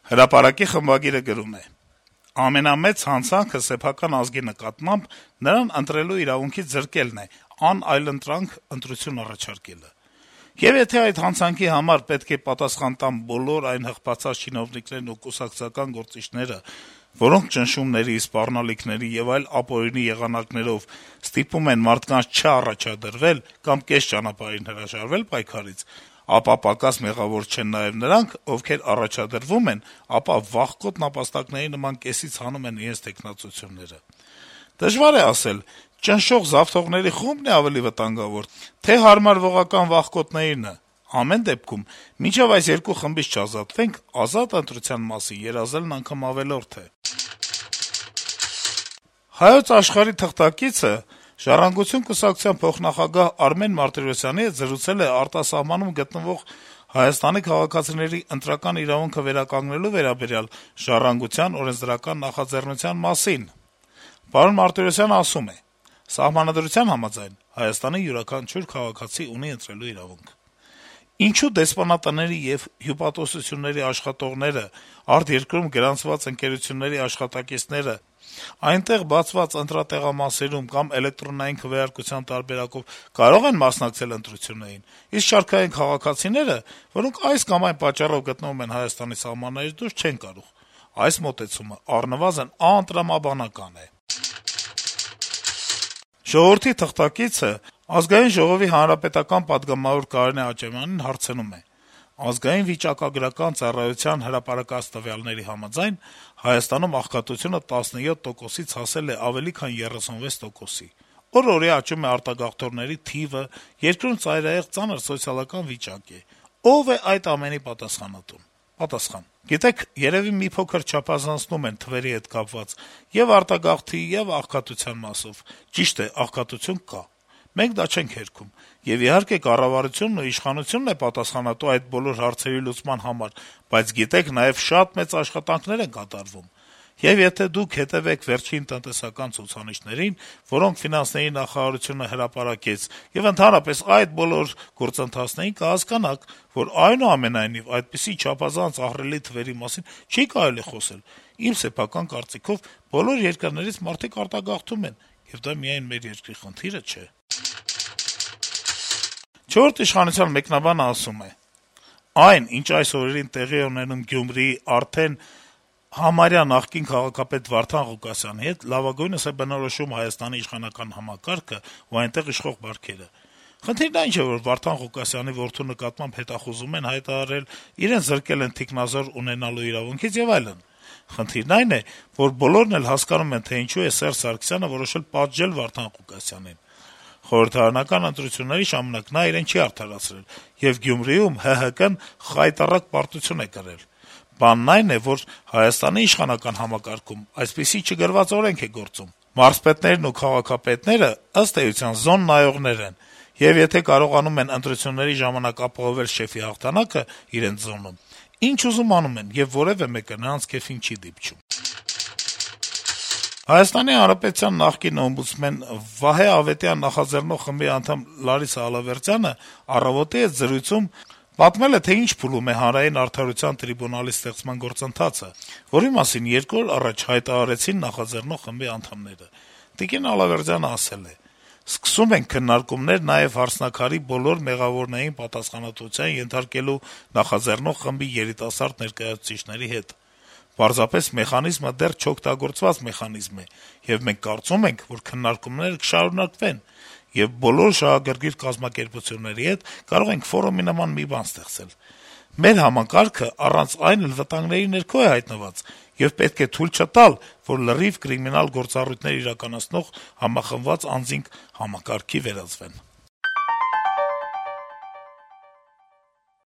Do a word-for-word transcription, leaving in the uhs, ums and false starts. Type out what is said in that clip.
Հրապարակի խմբագիրը գրում է. - «Ամենամեծ հանցանքը սեփական ազգի նկատմամբ նրան ընտրելու իրավունքից զրկելն է, անայլընտրանք ընտրություն առաջարկելը: Եվ եթե այդ հանցանքի համար պետք է պատասխան տան բոլոր այն հղբացած չինովնիկներն ու կուսակցական գործիչները, որոնք ճնշումների, սպառնալիքների եւ այլ ապօրինի եղանակներով ստիպում են մարդկանց չառաջադրվել կամ կես ճանապարհին հրաժարվել պայքարից, ապա պակաս մեղավոր չեն նաեւ նրանք, ովքեր առաջադրվում են, ապա վախկոտ նապաստակների նման կեսից հանում են իրենց թեկնածությունները: Դժվար է ասել` ճնշող զավթողների խումբ-ն է ավելի վտանգավոր, թե հարմարվողական վախկոտներինը: Ամեն դեպքում, մինչեւ այս երկու խմբից չազատվենք, ազատ ընտրության մասին երազելն անգամ ավելորդ է»: «Հայոց Աշխարհ»-ի թղթակիցը «Ժառանգություն» կուսակցության փոխնախագահ Արմեն Մարտիրոսյանի հետ զրուցել է արտասահմանում գտնվող Հայաստանի քաղաքացիների ընտրական իրավունքը վերականգնելու վերաբերյալ «Ժառանգության» օրենսդրական նախաձեռնության մասին: Մարտիրոսյանն ասում է. - «Սահմանադրության համաձայն Հայաստանի յուրաքանչյուր քաղաքացի ունի ընտրելու իրավունք: Ինչո՞ւ դեսպանատների եւ հյուպատոսությունների աշխատողները, արտերկրում գրանցված ընկերությունների աշխատակիցները այնտեղ բացված ընտրատեղամասերում կամ էլեկտրոնային քվեարկության տարբերակով կարո՞ղ են մասնակցել ընտրություններին, իսկ շարքային քաղաքացիները, որոնք այս կամ այն պատճառով գտնվում են Հայաստանի սահմաններից դուրս, չեն կարող: Այս մոտեցումը առնվազն անտրամաբանական է»: «Ժողովուրդ» օրաթերթի թղթակիցը Ազգային ժողովի հանրապետական պատգամավոր Կարինե Աճեմյանին հարցնում է. - «Ազգային վիճակագրական ծառայության հրապարակած տվյալների համաձայն Հայաստանում աղքատությունը տասնյոթ տոկոսից հասել է ավելի քան երեսունվեց տոկոսի: Օր-օրի աճում է արտագաղթողների թիվը, երկրում ծայրահեղ ծանր սոցիալական վիճակ է: Ո՞վ է այդ ամենի պատասխանատուն»: Պատասխան. - «Գիտեք, երեւի մի փոքր չափազանցնում են թվերի հետ կապված եւ արտագաղթի, եւ աղքատության մասով: Ճիշտ է, աղքատություն կա: Մենք դա չենք հերքում: Եվ իհարկե կառավարությունն ու իշխանությունն է պատասխանատու այդ բոլոր հարցերի լուծման համար, բայց գիտեք, նաեւ շատ մեծ աշխատանքներ են կատարվում: Եվ եթե դուք հետեւեք վերջին տնտեսական ցուցանիշներին, որոնք ֆինանսների նախարարությունը հրապարակեց, եւ ընդհանրապես այդ բոլոր գործընթացներին, կհասկանաք, որ այնուամենայնիվ այդպիսի չափազանց ահռելի թվերի մասին չի կարելի խոսել: Իմ սեփական կարծիքով, բոլոր երկրներից մարդիկ արտագաղթում են, եւ դա միայն մեր երկրի խնդիրը չէ»: «Չորրորդ ինքնիշխանության» մեկնաբանը ասում է. - «Այն, ինչ այս օրերին տեղի է ունենում Գյումրիի արդեն համարյա նախկին քաղաքապետ Վարդան Ղուկասյանի հետ, լավագույնս է բնորոշում Հայաստանի իշխանական համակարգն ու այնտեղ իշխող բարքերը: Խնդիրն այն չէ, որ Վարդան Ղուկասյանի որդու նկատմամբ հետախուզում են հայտարարել, իրեն զրկել են թիկնազոր ունենալու իրավունքից եւ այլն: Խնդիրն այն է, որ բոլորն էլ հասկանում են, թե ինչու է Սերժ Սարգսյանը որոշել պատժել Վարդան Ղուկասյանին: Խորհրդարանական ընտրությունների ժամանակ նա իրեն չի արդարացրել, եւ Գյումրիում ՀՀԿ-ն խայտառակ պարտություն է կրել: Բանն այն է, որ Հայաստանի իշխանական համակարգում այսպիսի չգրված օրենք է գործում: Մարզպետներն ու քաղաքապետները, ըստ էության, զոն նայողներ են, եւ եթե կարողանում են ընտրությունների ժամանակ ապահովել շեֆի հաղթանակը իրենց զոնում, ինչ ուզում անում են, եւ որեւէ մեկը նրանց քեֆին չի դիպչում»: Հայաստանի Հանրապետության նախկին օմբուդսմեն Վահե Ավետյան նախաձեռնող խմբի անդամ Լարիսա Ալավերդյանը «Առավոտ»-ի հետ զրույցում պատմել է, թե ինչ փուլում է Հանրային արդարության տրիբունալի ստեղծման գործընթացը, որի մասին երկու օր առաջ հայտարարեցին նախաձեռնող խմբի անդամները: Տիկին Ալավերդյանը ասել է. - «Սկսում ենք քննարկումներ նաեւ «Հարսնաքար»-ի բոլոր մեղավորներին պատասխանատվության ենթարկելու նախաձեռնող խմբի երիտասարդ ներկայացուցիչների հետ: Պարզապես մեխանիզմը դեռ չօգտագործված մեխանիզմ է, եւ մենք կարծում ենք, որ քննարկումները կշարունակվեն, եւ բոլոր շահագրգիռ կազմակերպությունների հետ կարող ենք ֆորումի նման մի բան ստեղծել: Մեր համակարգը առանց այն էլ վտանգների ներքո է հայտնված, եւ պետք է թույլ չտալ, որ լրիվ կրիմինալ գործառույթներ իրականացնող համախմբված անձինք համակարգի վերածվեն»: